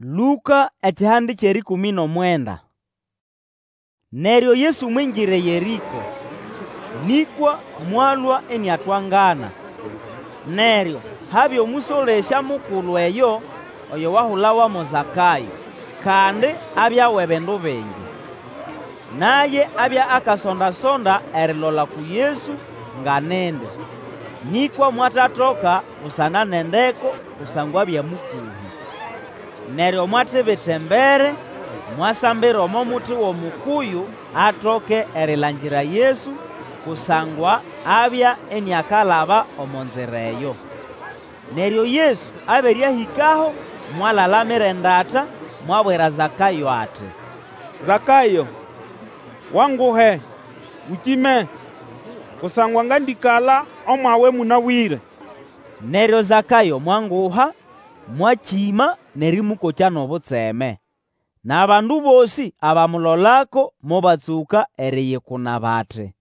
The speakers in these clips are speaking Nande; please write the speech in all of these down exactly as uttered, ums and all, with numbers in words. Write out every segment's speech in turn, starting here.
Lũka ekihande ky'erĩkũmĩ n'omwenda. Neryo Yesu mwingira eYerĩko, nĩkwa mwalũa iniatwangana. Neryo habya omũsolesya mukulu eyo oyo wahulawa mo Zakayo, kandi abya w'ebindu bingi. Naye abya akasonda-sonda erilola uku Yesu nga nindi, nĩkwa mwatatoka busana n'endeko kusangwa abya mũkũhĩ. Neryo mwatibita embere, mwasambira omo muti w'omukuyu atoke erilangira Yesu, kusangwa abya iniakalaba omo nzira eyo. Neryo Yesu abere ahĩkaho, mwalalamira endata, mwabwira Zakayo ati, Zakayo, wanguhe, Ũkĩme, kusangwa ngandĩkala omwawe mũnabwĩre. Neryo Zakayo mwanguha, mwakĩma n'erĩmũkokya n'obutseme. N'abandu bosĩ abamulolako mobatsũka eriyikuna bati,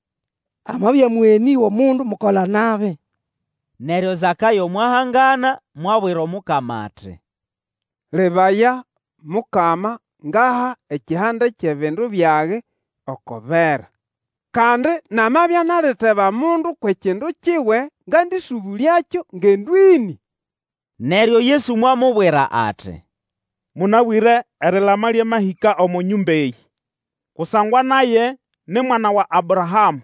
Amabya mũgenĩ w'omundu mukola-nabi. Neryo Zakayo mwahangana, mwabwira Omukama ati, Lebaya, Mukama, ngaha ekihande ky'ebindu byage oko bera. Kandi namabya naliteba mundu kw'ekindu kiwe, ngandĩsũbũlyakyo ngendo ĩnĩ. Neryo Yesu mwamubwira ati, Mũnabwĩre erilama lyamahĩka omo nyũmba eyĩ, kusangwa naye ni mwana wa Abrahamũ.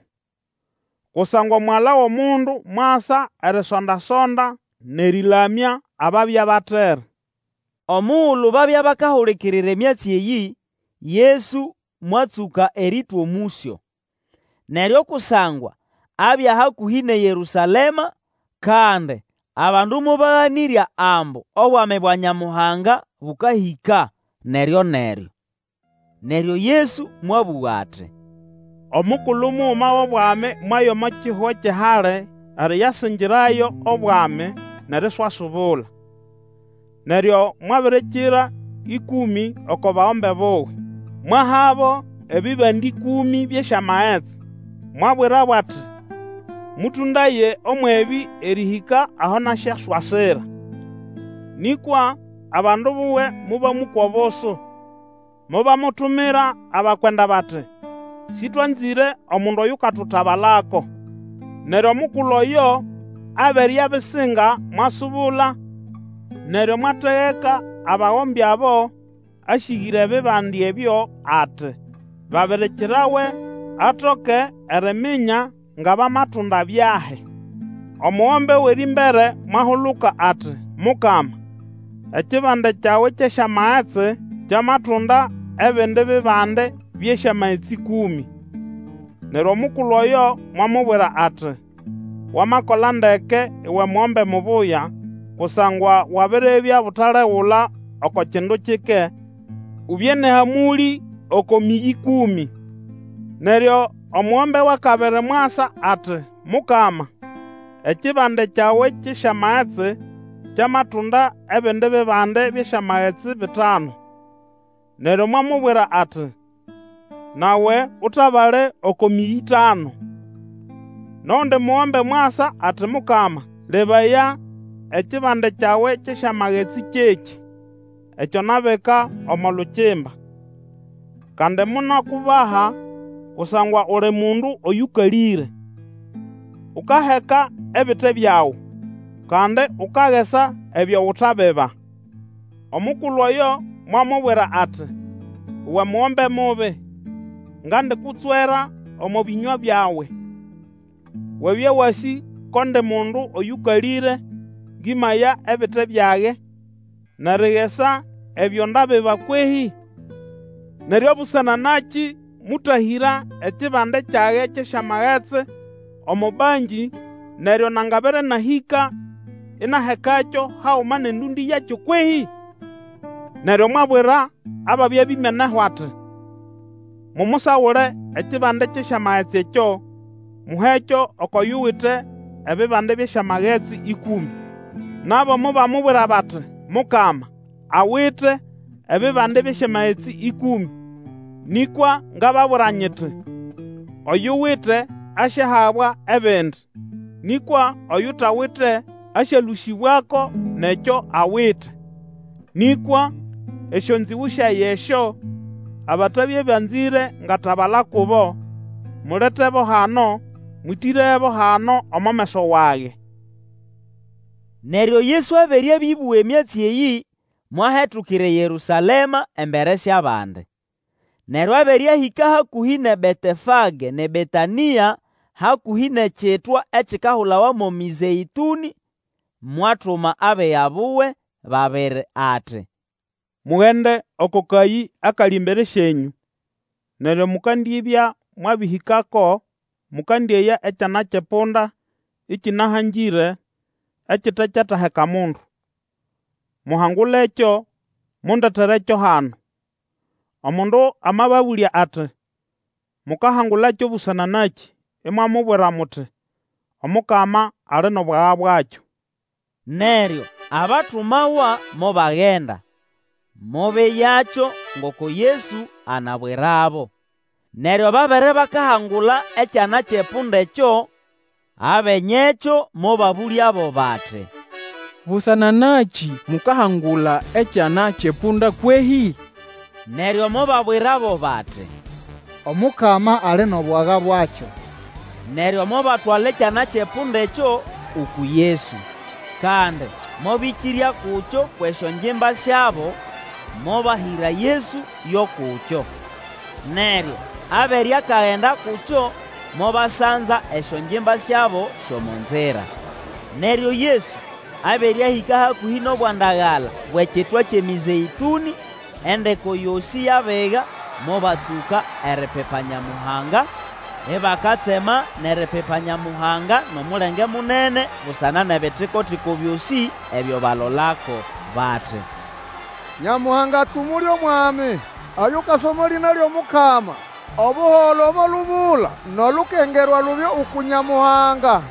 Kusangwa Omugala w'Omundu mwasa erisonda-sonda n'erĩlamya ababya batere. Omugulu babya bakahulikirira emyatsi eyĩ, Yesu mwatsũka erĩtwa omũsyo. Neryo kusangwa abya hakũhĩ n'eYerũsalema, kandi abandu mobaganĩrya ambu Obwami bwa Nyamuhanga bũkahĩka neryo-neryo. Neryo Yesu mwabũga ati, Omukulu muguma w'obwami mwaya omo kihugo ky'ehali eriyasingirayo obwami n'eriswasubula. Neryo mwabirikira ĩkũmĩ oko bagombe buwe, mwahabo ebibande ĩkũmĩ by'esyamagetsi, mwabwirabo ati, Mũtũndaye ũmw'ebĩ erĩhĩka aho nasyaswasira. Nĩkwa abandu buwe mobamũkwa obusu, mobamutumira abakwenda bati, Sĩtwanzĩre omundu oyukatutabalako. Neryo omukulu oyo abere abisinga mwasubula, neryo mwategeka abagombe abo asĩgĩre ebibande ebyo ati, Babirikirawe atoke eriminya nga bamatunda byahi. Omugombe w'erĩmbere mwahuluka ati, Mukama, ekibande kyawe ky'esyamagetsi kyamatunda ebindi bibande by'esyamagetsi ĩkũmĩ. Neryo omukulu oyo mwamubwira ati, Wamakola ndeke, uwe mugombe mubuya, kusangwa wabiribya butalegula oko kindu kike, ubye n'ehamũlĩ oko mĩyĩ ĩkũmĩ. Neryo omugombe w'akabiri mwasa ati, Mukama, ekibande kyawe ky'esyamagetsi kyamatunda ebindi bibande by'esyamagetsi bitanu. Neryo mwamubwira ati, Nawe utabale oko mĩyĩ ĩtanu. N'ogundi mugombe mwasa ati, Mukama, lebaya, ekibande kyawe ky'esyamagetsi kyekĩ, ekyo nabika omo lukimba. Kandi monakubaha kusangwa uli mundu oyũkalĩre. Ukaheka ebite byawe, kandi ukagesa ebyo utabiba. Omukulu oyo mwamubwira ati, Uwe mugombe mubi, ngandikutswera omo bĩnywa byawe. Wabya wasĩ ko ndi mundu oyũkalĩre, ngĩmaya ebite byage, n'erigesa ebyo ndabiba kwehĩ? Neryo busana nakĩ mũtahĩra ekibande kyage ky'esyamagetsi omo bangi, neryo nangabere nahĩka inahekakyo haguma n'endũndĩ yakyo kwehĩ? Neryo mwabwira ababya bimeneho ati, Mumusagule ekibande ky'esyamagetsi ekyo, muhekyo oko yuwite ebibande by'esyamagetsi ĩkũmĩ. Nabo mobamubwira bati, Mukama, awite ebibande by'esyamagetsi ĩkũmĩ. Nĩkwa ngababwira nyiti, Oyuwite asyahabwa ebindi, nĩkwa oyutawite asyalũsĩbwako n'ekyo awite. Nĩkwa Esyonzĩgũ syage esyo, abatabya banzĩre ngatabala kubo, muletebo hano, mwĩtĩrebo hano omo meso wage. Neryo Yesu abere abĩbũga emyatsi eyĩ, mwahetukira eYerũsalema embere sy'abandi. Neryo abere ahĩka hakũhĩ n'eBetefage n'eBetanĩa, hakũhĩ n'ekitwa ekikahulawa mo Mĩzeĩtũnĩ, mwatuma abiga buwe babiri ati, Mugende oko kayĩ akali embere syenyũ, neryo mukandibya mwabĩhĩkako, mũkandĩeya ekyana ky'epunda ĩkĩnahangĩre, ekite kyataheka mundu. Muhangulekyo, mundeterekyo hano. Omundu amababũlya ati, Mukahangulakyo busana nakĩ? Imwamubwira muti, Omukama ali n'obwaga bwakyo. Neryo abatumawa mobagenda, mobeyakyo ngoko Yesu anabwirabo. Neryo babere bakahangula ekyana ky'epunda ekyo, abenyekyo mobabũlyabo bati, Busana nakĩ mukahangula ekyana ky'epunda kwehĩ? Neryo mobabwirabo bati, Omukama ali n'obwaga bwakyo. Neryo mobatwala ekyana ky'epunda ekyo uku Yesu. Kandi mobĩkĩrya kukyo kw'esyongimba syabo, mobahĩra Yesu yo kukyo. Neryo abere akagenda kukyo, mobasanza esyongimba syabo sy'omo nzira. Neryo Yesu abere ahĩka hakũhĩ n'obwandagala bw'ekitwa ky'eMĩzeĩtũnĩ, endeko yosĩ y'abiga mobatsũka eripipa Nyamuhanga, ibakatsema n'eripipa Nyamuhanga n'omulenge munene busana n'ebitiko-tiko byosĩ ebyo balolako, bati, Nyamuhanga atsumule Omwami oyukasa omo lĩna ly'Omukama! Obuholo omo lubula, N'olukengerwa lubye uku Nyamuhanga!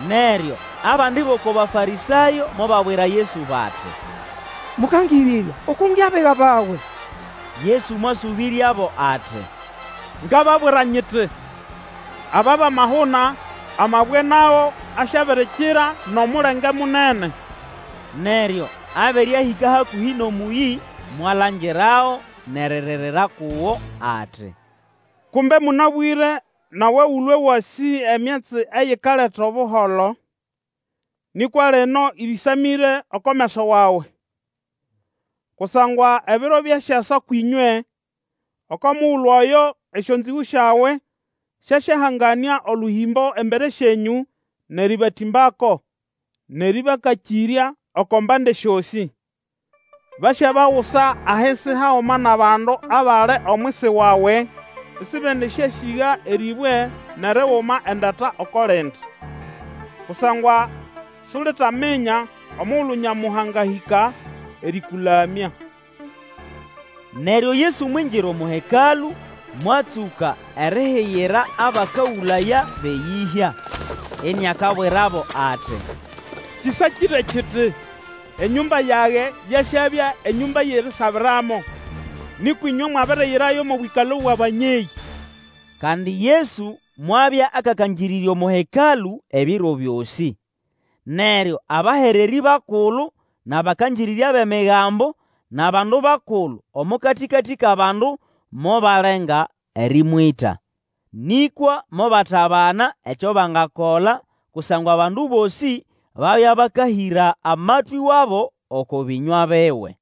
Neryo abandi b'oko Bafarĩsayo mobabwira Yesu bati, Mũkangĩrĩrya, ukunge abiga bawe. Yesu mwasũbĩryabo ati, Ngababwira nyiti, Aba bamahuna, amabwe nago asyabirikira n'omulenge munene. Neryo abere ahĩka hakũhĩ n'omũyĩ, mwalangirago n'eririra kugo ati, Kumbe mũnabwĩre nawe ũlwe wasĩ emyatsi eyikaleta obuholo! Nĩkwa lino ĩbĩsamĩre oko meso wawe. Kusangwa ebiro byasyasa kwĩnywe, oko mugulu oyo esyonzĩgũ syawe syasyahanganĩa olũhĩmbo embere syenyũ n'erĩbatĩmbako, n'erĩbakakĩrya oko mbande syosĩ. Basyabagusa ahisi haguma n'abandu abali omwisi wawe, isibendisyasĩga erĩbwe n'eriguma endata oko lindi. Kusangwa sulitaminya omugulu Nyamuhanga ahĩka erĩkũlamya. Neryo Yesu mwingira omo Hekalũ, mwatsũka erihiyira abakagũlaya b'eyĩhya, iniakabwirabo ati, Kĩsakĩre kiti, Enyũmba yage yasyabya enyũmba y'erisabiramo; nĩkwa ĩnywe mwabiriyirayo mo bwĩkalo bw'abanyeyĩ. Kandi Yesu mwabya akakangĩrĩrya omo Hekalũ ebiro byosĩ. Neryo abahererĩ bakulu n'abakangĩrĩrya b'Emigambo n'abandu bakulu omo katĩkatĩ k'abandu mobalenga erĩmwĩta. Nĩkwa mobatabana ekyo bangakola, kusangwa abandu bosĩ babya bakahĩra amatwĩ wabo oko bĩnywa biwe.